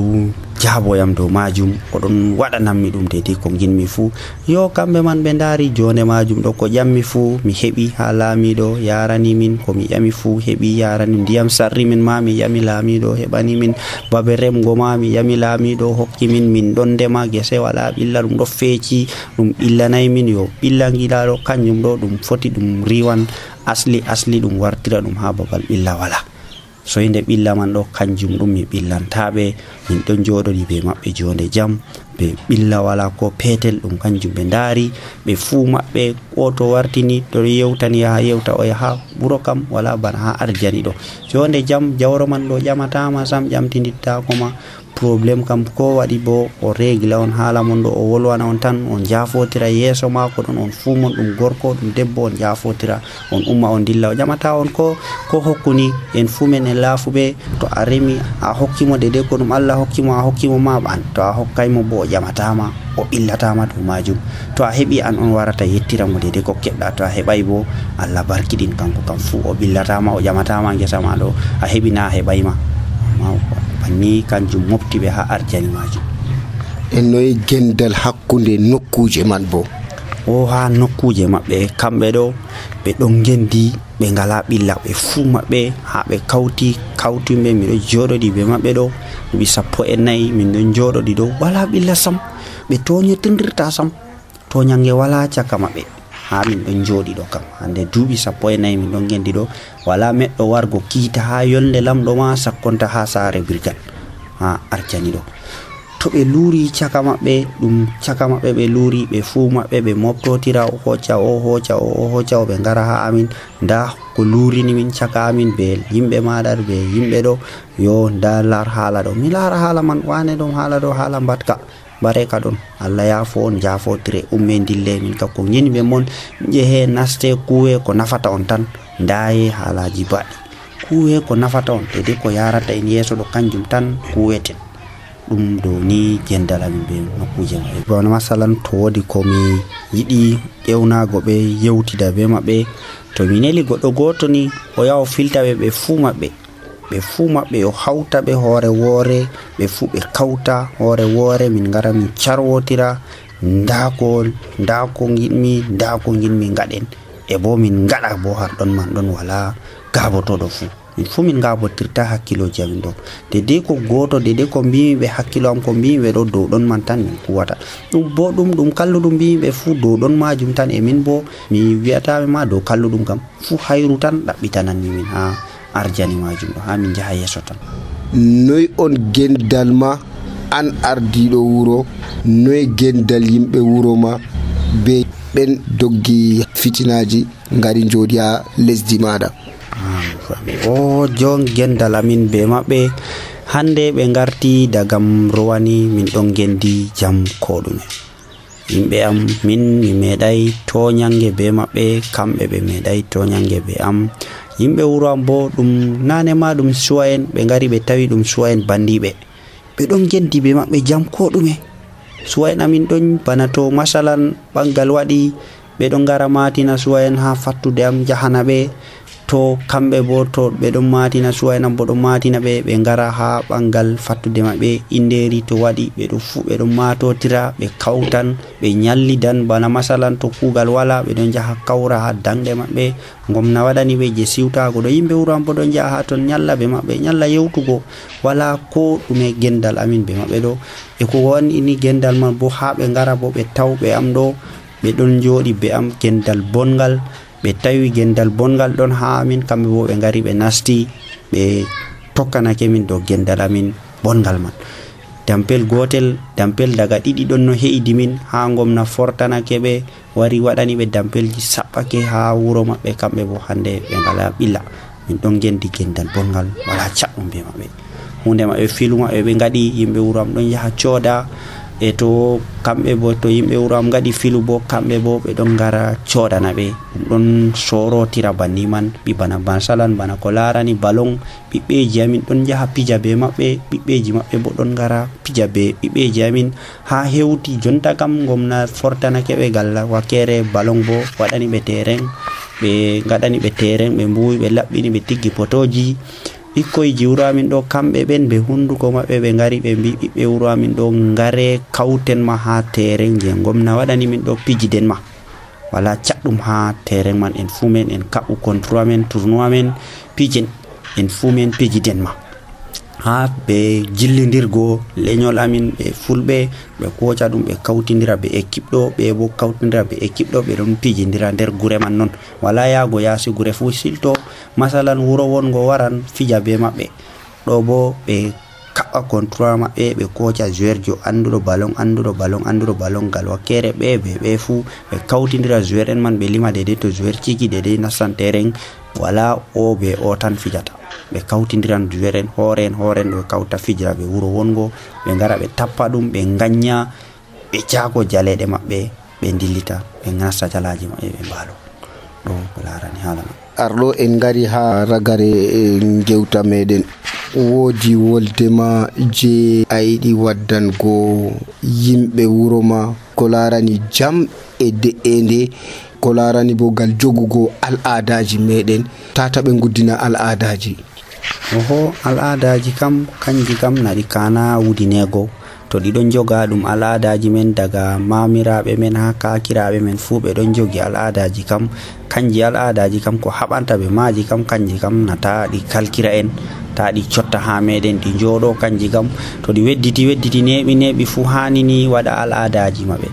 jaaboyam dow majum, oɗon waɗanammi ɗum dede ko ginmi fuu. Yo kamɓe man ɓe ndaari jonde majum ɗo, ko ƴammi fuu mi heɓi ha laamiɗo yarani min, ko mi ƴami fuu heɓi yarani. Ndiyam sarri min ma mi ƴami laamiɗo heɓani min, babe remgo ma mi ƴami laamiɗo hokki min, min ɗon ndema gese wala ɓilla, ɗum ɗo feeci, ɗum ɓillanay min. Yo ɓilla ngiɗaɗo kanjum ɗo ɗum foti ɗum riwan asli ɗum wartira ɗum ha babal ɓilla wala. So inde ɓilla man ɗo kanjum ɗum mi ɓillantaɓe, min ɗon joɗori be maɓɓe jonde jam, be ɓilla wala ko petel, ɗum kanjum ɓe ndaari ɓe fuu maɓɓe. O to wartini to yewtani yaha yewta o yaha ɓuro kam wala bana ha arjani ɗo jonde jam. Jawro man ɗo ƴamatama sam, ƴamtidittako probléme kam ko waɗi bo o régla on haala mon ɗo, o wolwana on tan, on jafotira yeeso mako ɗon, on fuu mon ɗum gorko ɗum debbo, on jafotira, on umma on dilla, o ƴamata on ko hokkuni. En fuu men en laafuɓe, to a remi a hokkimo dede ko ɗum Allah hokkimo, a hokkimo ma ɓan, to a hokkaymo bo o ƴamatama, o ɓillatama dow majum. To a heɓi an on warata yettiramo dede ko keɓɗa, to a heɓay bo Allah barkiɗin kanko kam fuu, o ɓillatama, o ƴamatama gesa ma ɗo, a heɓi na a heɓayma. Ni kanjum mofti ɓe ha arjani majum. E noye gendal hakkunde nokkuje man bo? O ha nokkuje maɓɓe kamɓe ɗo ɓe ɗon gendi, ɓe ngala ɓilla ɓe fuu maɓɓe, ha ɓe kawtiɓe. Miɗo joɗoɗi be maɓɓe ɗo duuɓi 14 min ɗon joɗoɗi ɗo, wala ɓilla sam, ɓe toñotindirta sam, toñange wala caka maɓɓe. Ha min ɗon joɗi ɗo kam hande duuɓi 14 min ɗon gendi ɗo, wala meɗɗo wargo kiita ha yolde lamɗo ma sakkonta ha saare brigade ha arjani ɗo. To ɓe luuri caka maɓɓe, ɗum caka maɓɓe ɓe luuri, ɓe fuu maɓɓe ɓe moftotira, o hocca o ɓe ngara ha amin, nda ko luurini min caka amin be yimɓe maɗar be yimɓe ɗo. Yo nda lar haala ɗo, mi lara haala man, wane ɗon haala ɗo, haala mbatka bareka ɗon, Allah yaafo on, jafotire, umme dille. Min kam ko ginɓe mon jehe naste kuwe ko nafata on tan, ndaye haalaji baɗi kuwe ko nafata on, dede ko yarata en yeeso ɗo kanjum tan kuweten. Ɗum ɗo ni gendal amin be nokkuje maɓɓe. Bana masalan to wodi komi yiɗi ƴewnago ɓe yewtida be maɓɓe, to mi neli goɗɗo goto ni o yaha o filta ɓe fuu maɓɓe o hawta ɓe hoore woore, ɓe fuu ɓe kawta hoore woore, min ngara min carwotira, nda ko ginmi ngaɗen, e bo min ngaɗa bo har ɗon man ɗon wala gabotoɗo fuu. Min fuu min gabotirta hakkiloji amin ɗo, dede ko goto, dede ko mbimi ɓe hakkilo am ko mbimi ɓe ɗo dow ɗon man tan min kuwata ɗum. Bo ɗum kalluɗum mbimi ɓe fuu dow ɗon majum tan, e min bo mi wi'ataɓe ma dow kalluɗum kam fuu hayru tan ɗaɓɓitananmi min ha arjani majum ɗo, ha min jaha yeeso tan. Noy on gendal ma an ardiɗo wuro, noy gendal yimɓe wuro ma be ɓen doggi fitinaji ngari jooɗi ha lesdi maɗa? O jon gendal amin be maɓɓe hande ɓe garti dagam rowani, min ɗon gendi jam ko ɗume. Yimɓe am min mi meeɗay toñange be maɓɓe, kamɓe ɓe meeɗay toñange be am. Yimɓe wuro am bo ɗum nane ma ɗum suwa en, ɓe ngari ɓe tawi ɗum suwa en bandiɓe, ɓe ɗon gendi be maɓɓe jam ko ɗume. Suwa en amin ɗon bana to masalan ɓangal waɗi, ɓe ɗon ngara matina suwa en ha fattude am jahana ɓe, to kamɓe bo to ɓe ɗon matina suwa en am bo ɗon matina ɓe, ɓe ngara ha ɓangal fattude maɓɓe, inderi to waɗi ɓe ɗo fuu ɓe ɗon matotira, ɓe kawtan, ɓe ñallidan. Bana masalan to kuugal wala, ɓe ɗon jaha kawra ha danɗe maɓɓe, gomna waɗani ɓe je siwtago ɗo. Yimɓe wuro am bo ɗon jaha ha ton ñalla be maɓɓe, ñalla yewtugo, wala ko ɗume gendal amin be maɓɓe ɗo. E ko wani ni gendal man bo ha ɓe ngara bo ɓe tawɓe am ɗo, ɓe ɗon joɗi be am gendal bongal, ɓe tawi gendal bongal ɗon ha amin, kamɓe bo ɓe ngari ɓe nasti ɓe tokkanake min dow gendal amin bongal man. Dampel gotel, dampel daga ɗiɗi ɗon no heidi min, ha gomna fortanake ɓe, wari waɗani ɓe dampelji saɓɓake ha wuro maɓɓe, kamɓe bo hande ɓe ngala ɓilla. min ɗon gendi gendal bongal wala caɗɗum be maɓɓe. Hunde maɓɓe filu maɓɓe ɓe ngaɗi, yimɓe wuro am ɗon yaha cooda, e to kamɓe bo to yimɓe wuro am ngaɗi filu bo kamɓe bo ɓe ɗon gara coodana ɓe, ɗum ɗon sorotira banni man. Bana masalan bana ko larani ballon, ɓiɓɓeji amin ɗon jaha pija be maɓɓe, ɓiɓɓeji maɓɓe bo ɗon gara pija be ɓiɓɓeji amin ha hewti. Jonta kam gomna fortanake ɓe gal wakere ballon bo waɗani ɓe terrain, ɓe gaɗani ɓe terrain, ɓe mbuwi ɓe laɓɓini ɓe tiggi potoji. Ɓikkoyji wuro amin ɗo kamɓe ɓen ɓe hunduko maɓɓe ɓe ngari ɓe mbi ɓiɓɓe wuro amin ɗo ngare kauten ma ha terrain je gomna waɗani min ɗo pijiden ma, wala caɗɗum ha terrain man. En fu men en kaɓu tournoi men pijen, en fu men pijiden ma ha ɓe jillidirgo leñol amin ɓe fulɓe ɓe koca ɗum ɓe kawtidira be équipe ɗo, ɓe bo kawtidira be équipe ɗo, ɓe ɗon pijidira nder gure man non, wala yago yasi gure fu. Silto masalan wuro wongo waran fija be maɓɓe ɗo bo ɓe kaɓa control maɓɓe, ɓe koca joueur jo anduɗo ballon gal wakkere ɓe fu ɓe kawtidira joueur en man ɓe lima dede to joueur ciki dede nassan terrain, wala o be o tan fijata, ɓe kawtidiran joueur en horen ɗo kawta fijira ɓe wuro wongo, ɓe ngara ɓe tappa ɗum, ɓe ganya, ɓe jago jaleɗe maɓɓe, ɓe dillita, ɓe nasta jalaji maɓɓe, ɓe mbalo. ɗo ko larani hala man. Arɗo en ngari ha ragare gewta meɗen, woodi woldema je a yiɗi waddango yimɓe wuro ma ko larani jam e de'ende, ko larani bo gal jogugo al'adaji meɗen, tata ɓe guddina al'adaji. Al'adaji kam kanji kam naɗi kana wudinego, to ɗiɗon joga ɗum al'adaji men daga mamiraɓe men ha kakiraɓe men fu ɓe ɗon jogi al'adaji kam. Kanji al'adaji kam ko haɓanta ɓe maji kam kanji kam nata ɗi kalkira en, ta ɗi cotta ha meɗen ɗi joɗo. Kanji kam to ɗi wedditi neɓi fu hanini waɗa al'adaji maɓɓe.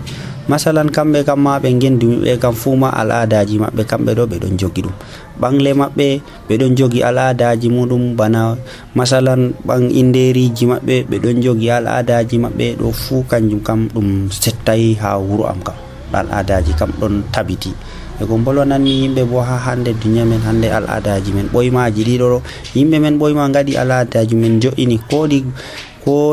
Masalan kamɓe kam ma ɓe gendumi ɓe kam fu ma al'adaji maɓɓe kamɓe ɗo ɓe ɗon jogi ɗum. Ɓangle maɓɓe ɓe ɗon jogi al'adaji muɗum, bana masalan ɓang inderiji maɓɓe ɓe ɗon jogi al'adaji maɓɓe ɗo fu kanjum kam ɗum settai ha wuro am kam, al'adaji kam ɗon tabiti. E ko bolwananni yimɓe bo ha hande duniya men hande al'adaji men ɓoymaji ɗiɗo, yimɓe men ɓoyma ngaɗi al'adaji men jo'ini ko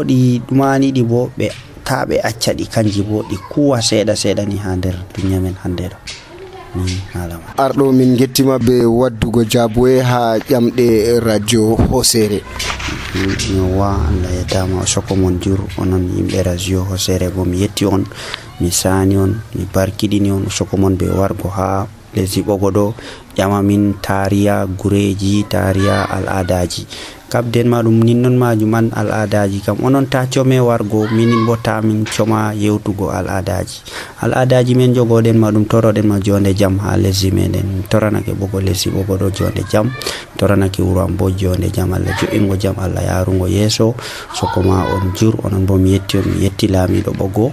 ɗi ɗumaniɗi bo ɓe ta ɓe acca ɗi kanji bo ɗi kuwa seeɗa ni ha nder duniya men hande ɗo. Arɗo min gettima be waddugo jaboe ha ƴamɗe radio Hosere. Wa Allah yettama o soko mon jur onon yimɓe radio Hosere bo mi yetti on, mi sani on, mi barkiɗini on, soko mon be wargo ha lesdi Ɓogoɗo ƴama min tariya gureji, tariya al'adaji kabden ma ɗum ninnon majum an al'adaji kam onon ta come wargo, minin bo ta min coma yewtugo al'adaji men jogoɗen ma ɗum toroɗen ma jonde jam ha lesdi meɗen. Toranake bogo lesdi Ɓogoɗo jonde jam, toranake wuro am bo jonde jam, Allah jo'ingo jam, Allah yarugo yeso. Soko ma on jur onon bo mi yetti on, mi yetti lamiɗo Ɓogo,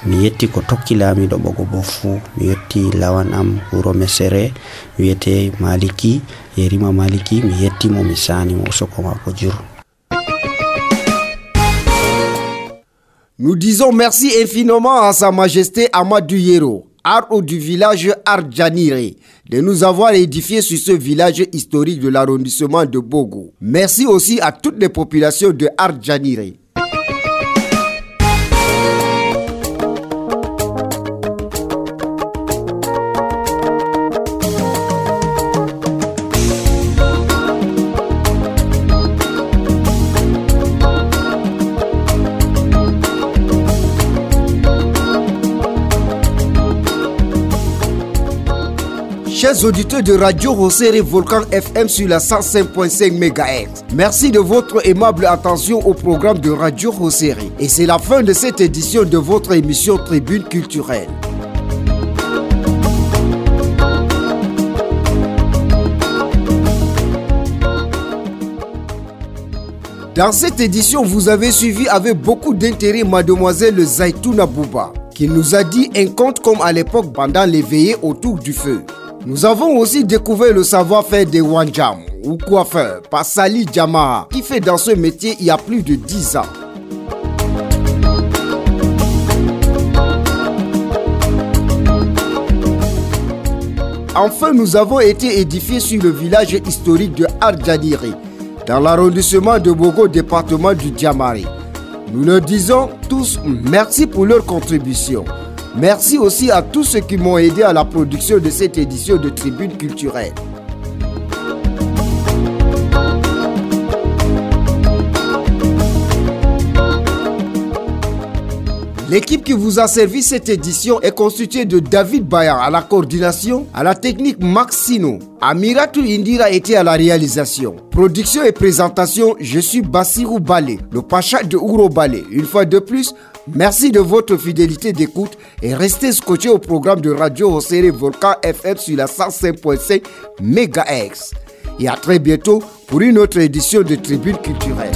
mi yetti ko tokki lamiɗo Ɓogo bo fu, mi yetti lawan am wuro Mesere wiyete Maliki, Yerima Maliki, mi yettimo, mi sanimo, soko mako jur. Nous disons merci infiniment à Sa Majesté Amadou Yero, Arɗo du village Ardjanire, de nous avoir édifié sur ce village historique de l'arrondissement de Bogo. Merci aussi à toutes les populations de Ardjanire. Chers auditeurs de Radio Hosere Volcan FM sur la 105.5 MHz, merci de votre aimable attention au programme de Radio Hosere. Et c'est la fin de cette édition de votre émission Tribune culturelle. Dans cette édition, vous avez suivi avec beaucoup d'intérêt Mademoiselle Zaitouna Bouba, qui nous a dit un conte comme à l'époque pendant les veillées autour du feu. Nous avons aussi découvert le savoir-faire des Wanjam ou coiffeurs par Sali Jamaha, qui fait dans ce métier il y a plus de 10 ans. Enfin, nous avons été édifiés sur le village historique de Ardjaniri, dans l'arrondissement de Bogo, département du Djamari. Nous leur disons tous merci pour leur contribution. Merci aussi à tous ceux qui m'ont aidé à la production de cette édition de Tribune culturelle. L'équipe qui vous a servi cette édition est constituée de David Bayar à la coordination, à la technique Maxino. Amiratou Indira était à la réalisation. Production et présentation, je suis Bassirou Balé, le Pacha de Ouro Balé. Une fois de plus, merci de votre fidélité d'écoute et restez scotchés au programme de Radio Hossere Volcan FM sur la 105.5 MHz. Et à très bientôt pour une autre édition de Tribune culturelle.